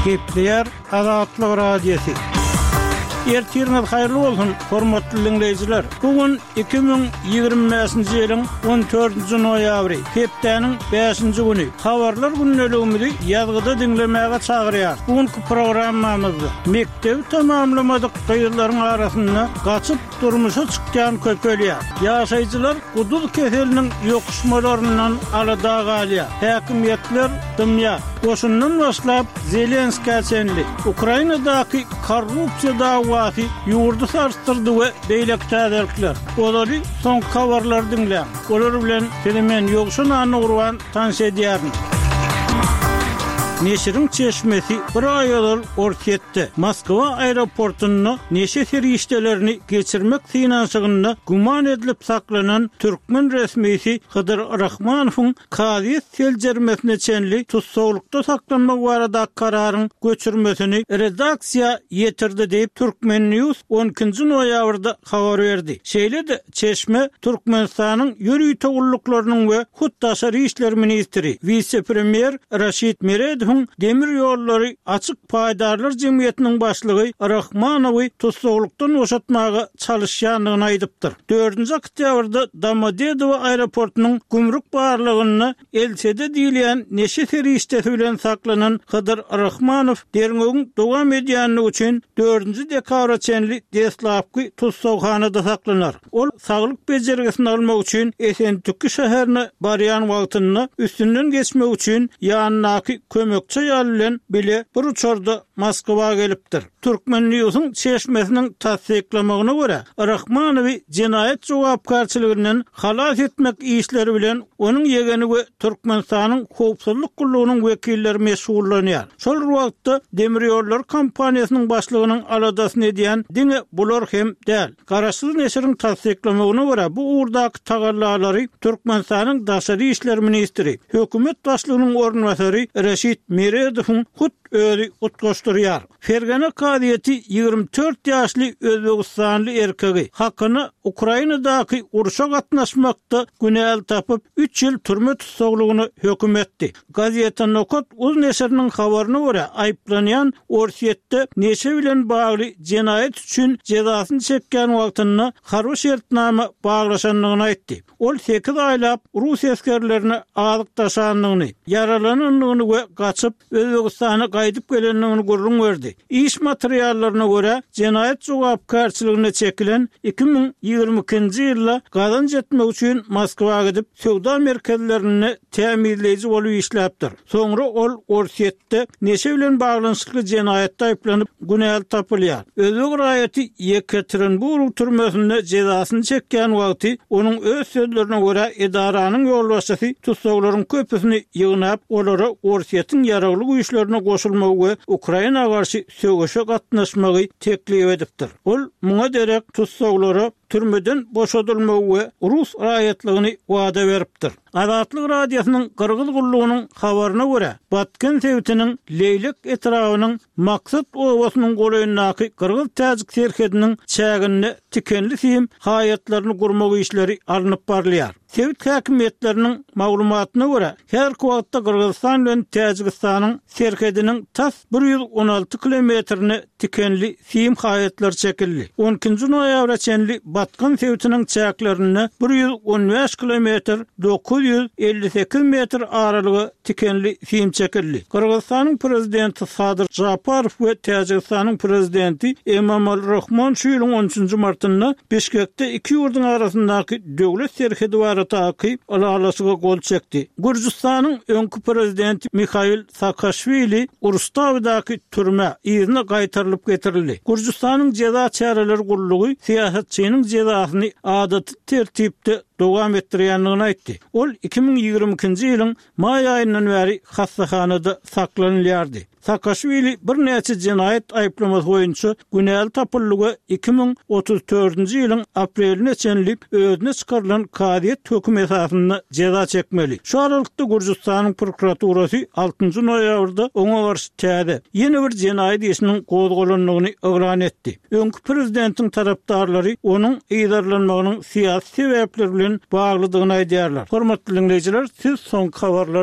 Gepleýär Azatlyk Radiosy. Ertiriňiz haýyrly bolsun, hormatly diňleýjiler! Bu gün 2025-nji ýylyň 14-nji noýabry, hepdäniň bäşinji güni. Habarlar gündeligimizi ýazgyda diňlemäge çagyrýarys. Bu günki programmamyzda mekdebi tamamlamadyk gyzlaryň arasynda gaçyp durmuşa çykýan köpelýär. Ýaşaýjylar guduz keseliniň ýokuşmalaryndan alada galýar. Häkimiýetler dymýar. Goşundan başlap Zelenskä çenli. Ukrainadaky korrupsiýa dawasy ýurdy sarsdyrdy we beýleki täzelikler. Ozaly soňky habarlary diňläň. Olar bilen sizi men Ýowşan Annagurban tanyş edýärin. Neşiriň çeşmesi bir aý ozal Orsýetde, Moskwa aeroportunda neşe serişdelerini geçirmek synanyşygynda güman edilip saklanan türkmen resmisi Hydyr Rahmanowyň kazyýet seljermesine çenli tussaglykda saklanmagy baradaky kararyň göçürmesini redaksiýa ýetirdi diýip, Turkmen. News on ikinji noýabrda habar berdi. Şeýle-de, çeşme Türkmenistanyň ýörite gulluklarynyň we hut daşary işler ministri, wise-premýer Raşid Meredowyň Demir ýollary açyk paýdarlar jemgyýetiniň başlygy Rahmanowy tussaglykdan boşatmaga çalyşýandygyny aýdypdyr. Dördünji oktýabrda Domodedowo aeroportunyň gümrük barlagynda LSD diýilýän neşe serişdesi bilen saklanan Hydyr Rahmanow derňewiň dowam edýändigi üçin dördünji dekabra çenli deslapky tussaghanada saklanar. Ol saglyk bejergisini almak üçin Esentüki şäherine barýan wagtynda üstünden geçmek üçin ýanyndaky kömekçi aýal bilen bile bir uçarda Moskwa gelipdir. Turkmen Newsiň çeşmesiniň tassyklamagyna görä, Rahmanowy jenaýat jogapkärçiliginden halas etmek işleri bilen onuň ýegeni we Türkmenistanyň Howpsuzlyk gullugynyň wekilleri meşgullanýar. Şol bir wagtda, demirýollary kompaniýasynyň başlygynyň aladasyny edýän diňe bular hem däl. Garaşsyz neşiriň tassyklamagyna görä, bu ugurdaky tagallalary Türkmenistanyň daşary işler ministri, hökümet başlygynyň orunbasary Reşit Meredowyň hut özi utgaşdyrýar. Fergana kazyýeti 24 ýaşly özbegistanly erkegi hakyna Ukrainadaky urşa gatnaşmakda günäli tapyp, üç ýyl türme tussaglygyna höküm etdi. Gazeta Nokat uz neşiriniň habaryna görä, aýyplanýan Orsýetde neşe bilen bagly jenaýat üçin jezasyny çekýän wagtynda harby şertnama baglaşandygyny aýtdy. Ol sekiz aýlap rus esgerlerine azyk daşandygyny, ýaralanandygyny we gaçyp, Özbegistana gaýdyp gelendigini gürrüň berdi. Iş materiallaryna görä, jenaýat jogapkärçiligine çekilen 2022-nji ýylda gazanç etmek üçin Moskwa gidip, söwda merkezlerinde tämizleýji bolup işläpdir. Soňra ol Orsýetde neşe bilen baglanyşykly jenaýatda aýyplanyp, günäli tapylýar. Özbek raýaty Ýekaterinburg türmesinde jezasyny çekýän wagty, onuň öz sözlerine görä, edaranyň ýolbaşçysy tussaglaryň köpüsini ýygnap, olara Orsýetiň ýaragly güýçlerine goşulmagy we Ukraina garşy söweşe gatnaşmagy teklip edipdir. Ol muňa derek tussaglara türmeden boşadylmagy we rus raýatlygyny wada beripdir. Azatlyk Radiosynyň Gyrgyz gullugynyň habaryna görä, Batken sebitiniň Leýlek etrabynyň Maksat obasynyň golaýyndaky gyrgyz-täjik serhediniň çäginde tikenli sim haýatlaryny gurmak işleri alnyp barylýar. Sebit häkimiýetleriniň maglumatyna görä, häzirki wagtda Gyrgyzystan bilen Täjigistanyň serhediniň tas 116 kilometrine tikenli sim haýatlar çekildi. On ikinji noýabra çenli Batgan sebitiniň çäklerinde 115 kilometr 958 metr aralyga tikenli sim çekildi. Gyrgyzystanyň Prezidenti Sadyr Žaparow we Täjigistanyň Prezidenti Emomali Rahmon şu ýylyň on üçünji martynda Bişkekde iki ýurduň arasyndaky döwlet serhedi baradaky ylalaşyga gol çekdi. Gürjüstanyň öňki Prezidenti Mihail Saakaşwili Rustawidaky türmä yzyna gaýtarylyp getirildi. Gürjüstanyň jeza çäreleri gullugy syýasatçynyň jezasyny adaty tertipde dowam etdirýändigini aýtdy. Ol 2022-nji ýylyň maý aýyndan bäri hassahanada saklanylýardy. Saakaşwili birnäçe jenaýat aýyplamasy boýunça günäli tapyldy we 2034-nji ýylyň apreline çenli özüne çykarylan kazyýet hökümi esasynda jeza çekmeli. Şu aralykda Gürjüstanyň prokuraturasy altynjy noýabrda oňa garşy täze, ýene bir jenaýat işiniň gozgalandygyny yglan etdi. Öňki prezidentiň tarapdarlary onuň yzarlanmagynyň syýasy sebäpler bilen baglydygyny aýdýarlar. Hormatly diňleýjiler, siz soňky habarlary.